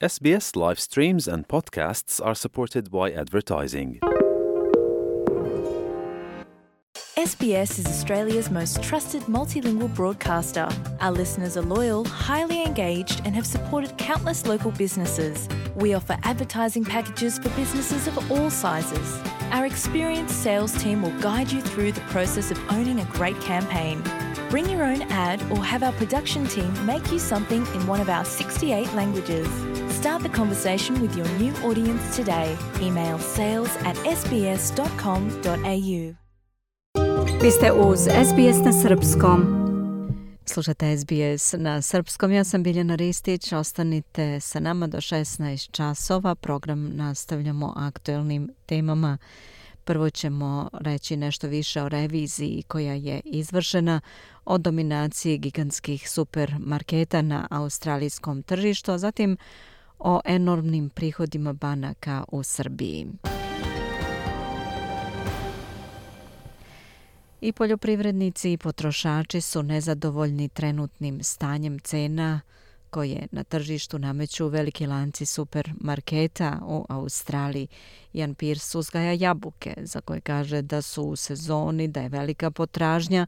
SBS live streams and podcasts are supported by advertising. SBS is Australia's most trusted multilingual broadcaster. Our listeners are loyal, highly engaged, and have supported countless local businesses. We offer advertising packages for businesses of all sizes. Our experienced sales team will guide you through the process of owning a great campaign. Bring your own ad or have our production team make you something in one of our 68 languages. Start the conversation with your new audience today. Email sales@sbs.com.au. Vi ste uz SBS na srpskom. Slušate SBS na srpskom. Ja sam Biljana Ristić. Ostanite sa nama do 16 časova. Program nastavljamo aktuelnim temama. Prvo ćemo reći nešto više o reviziji koja je izvršena o dominaciji gigantskih supermarketa na australijskom tržištu, a zatim o enormnim prihodima banaka u Srbiji. I poljoprivrednici i potrošači su nezadovoljni trenutnim stanjem cena koje na tržištu nameću veliki lanci supermarketa u Australiji. Ian Pearce uzgaja jabuke za koje kaže da su u sezoni, da je velika potražnja,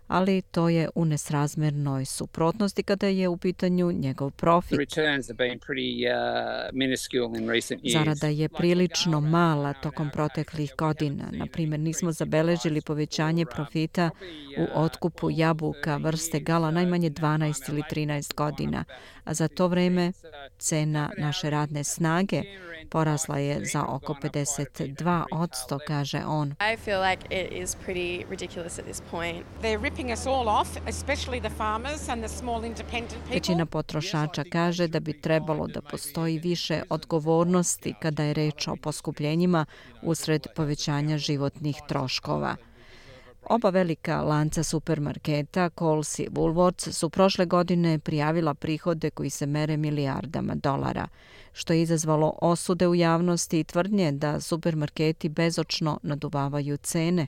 ali to je u nesrazmernoj suprotnosti kada je u pitanju njegov profit. Zarada je prilično mala tokom proteklih godina. Na primjer, nismo zabeležili povećanje profita u otkupu jabuka vrste gala najmanje 12 ili 13 godina, a za to vreme cena naše radne snage porasla je za oko 52%, kaže on. I feel like it is pretty ridiculous at this point. They're ripping us all off, especially the farmers and the small independent people. Većina potrošača kaže da bi trebalo da postoji više odgovornosti kada je reč o poskupljenjima usred povećanja životnih troškova. Oba velika lanca supermarketa, Coles i Woolworths, su prošle godine prijavila prihode koji se mere milijardama dolara, što je izazvalo osude u javnosti i tvrdnje da supermarketi bezočno naduvavaju cene.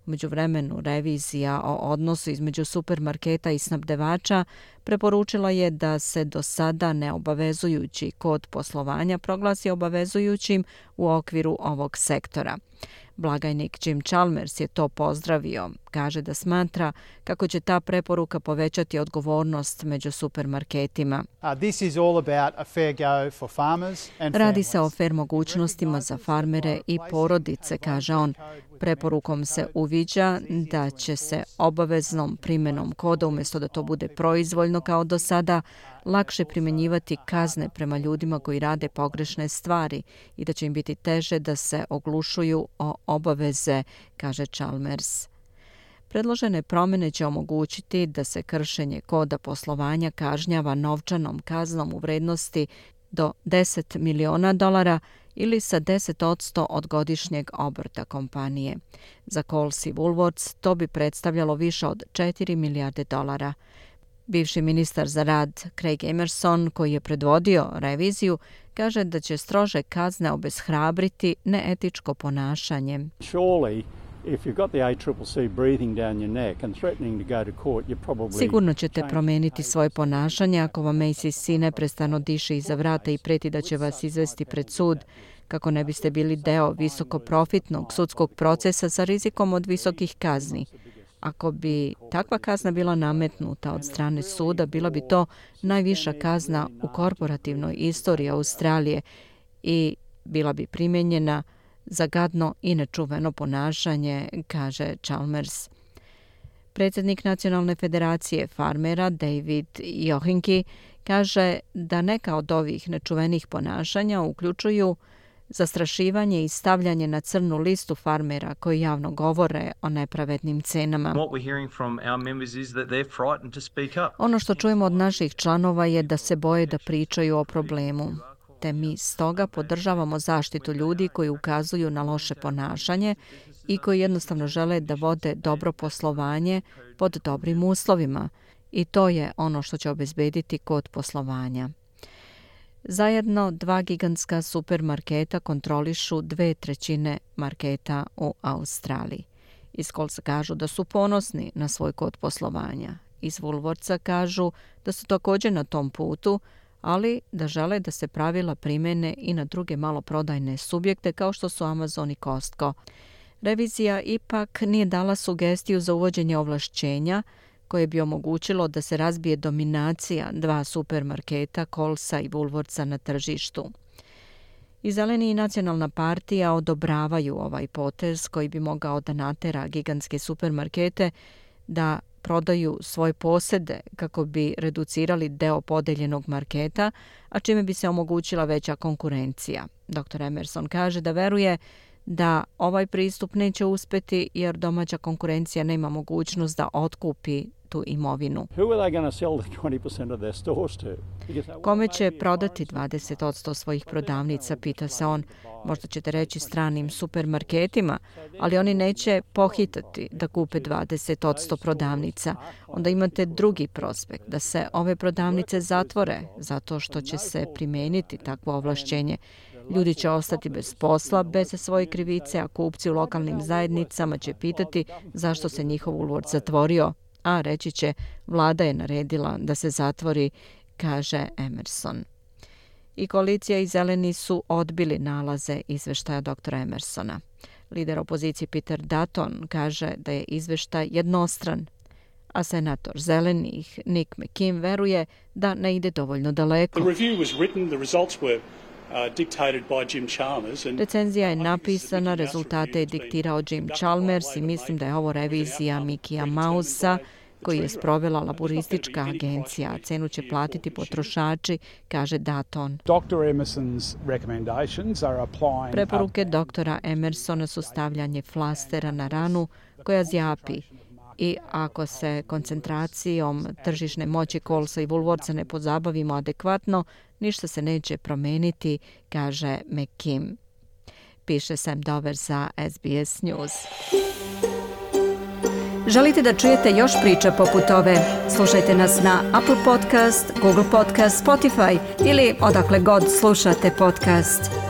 U međuvremenu, revizija o odnosu između supermarketa i snabdevača preporučila je da se do sada neobavezujući kod poslovanja proglasi obavezujućim u okviru ovog sektora. Blagajnik Jim Chalmers je to pozdravio. Kaže da smatra kako će ta preporuka povećati odgovornost među supermarketima. Radi se o fair mogućnostima za farmere i porodice, kaže on. Preporukom se uviđa da će se obaveznom primjenom koda, umjesto da to bude proizvoljno kao do sada, lakše primjenjivati kazne prema ljudima koji rade pogrešne stvari i da će im biti teže da se oglušuju o obaveze, kaže Chalmers. Predložene promjene će omogućiti da se kršenje koda poslovanja kažnjava novčanom kaznom u vrednosti do $10 miliona ili sa 10% od godišnjeg obrta kompanije. Za Coles i Woolworths to bi predstavljalo više od $4 milijarde. Bivši ministar za rad Craig Emerson, koji je predvodio reviziju, kaže da će strože kazne obeshrabriti neetičko ponašanje. Sigurno ćete promijeniti svoje ponašanje ako vam ACC neprestano diše iza vrata i preti da će vas izvesti pred sud, kako ne biste bili deo visokoprofitnog sudskog procesa sa rizikom od visokih kazni. Ako bi takva kazna bila nametnuta od strane suda, bila bi to najviša kazna u korporativnoj istoriji Australije i bila bi primijenjena za gadno i nečuveno ponašanje, kaže Chalmers. Predsjednik Nacionalne federacije farmera David Johinki kaže da neka od ovih nečuvenih ponašanja uključuju zastrašivanje i stavljanje na crnu listu farmera koji javno govore o nepravednim cenama. Ono što čujemo od naših članova je da se boje da pričaju o problemu. Te mi stoga podržavamo zaštitu ljudi koji ukazuju na loše ponašanje i koji jednostavno žele da vode dobro poslovanje pod dobrim uslovima. I to je ono što će obezbediti kod poslovanja. Zajedno 2 gigantska supermarketa kontrolišu 2/3 marketa u Australiji. Iz Colesa kažu da su ponosni na svoj kod poslovanja. Iz Woolworthsa kažu da su također na tom putu, ali da žele da se pravila primene i na druge maloprodajne subjekte kao što su Amazon i Costco. Revizija ipak nije dala sugestiju za uvođenje ovlašćenja koje bi omogućilo da se razbije dominacija dva supermarketa, Colesa i Woolworthsa na tržištu. I Zeleni i Nacionalna partija odobravaju ovaj potez koji bi mogao da natera gigantske supermarkete da prodaju svoje posede kako bi reducirali deo podeljenog marketa, a čime bi se omogućila veća konkurencija. Dr. Emerson kaže da veruje da ovaj pristup neće uspeti jer domaća konkurencija nema mogućnost da otkupi tu imovinu. Kome će prodati 20% svojih prodavnica, pita se on. Možda ćete reći stranim supermarketima, ali oni neće pohitati da kupe 20% prodavnica. Onda imate drugi prospekt, da se ove prodavnice zatvore zato što će se primijeniti takvo ovlašćenje. Ljudi će ostati bez posla, bez svoje krivice, a kupci u lokalnim zajednicama će pitati zašto se njihov Woolworth zatvorio, a reći će vlada je naredila da se zatvori, kaže Emerson. I koalicija i Zeleni su odbili nalaze izveštaja dr. Emersona. Lider opozicije Peter Dutton kaže da je izveštaj jednostran, a senator Zelenih Nick McKim veruje da ne ide dovoljno daleko. Recenzija je napisana, rezultate je diktirao Jim Chalmers i mislim da je ovo revizija Mickeyja Mousea koji je sprovela laboristička agencija, a cenu će platiti potrošači, kaže Dutton. Preporuke doktora Emersona su stavljanje flastera na ranu koja zjapi i ako se koncentracijom tržišne moći Colesa i Woolworthsa ne pozabavimo adekvatno, ništa se neće promeniti, kaže McKim. Piše Sam Dover za SBS News. Želite da čujete još priča poput ove? Slušajte nas na Apple Podcast, Google Podcast, Spotify ili odakle god slušate podcast.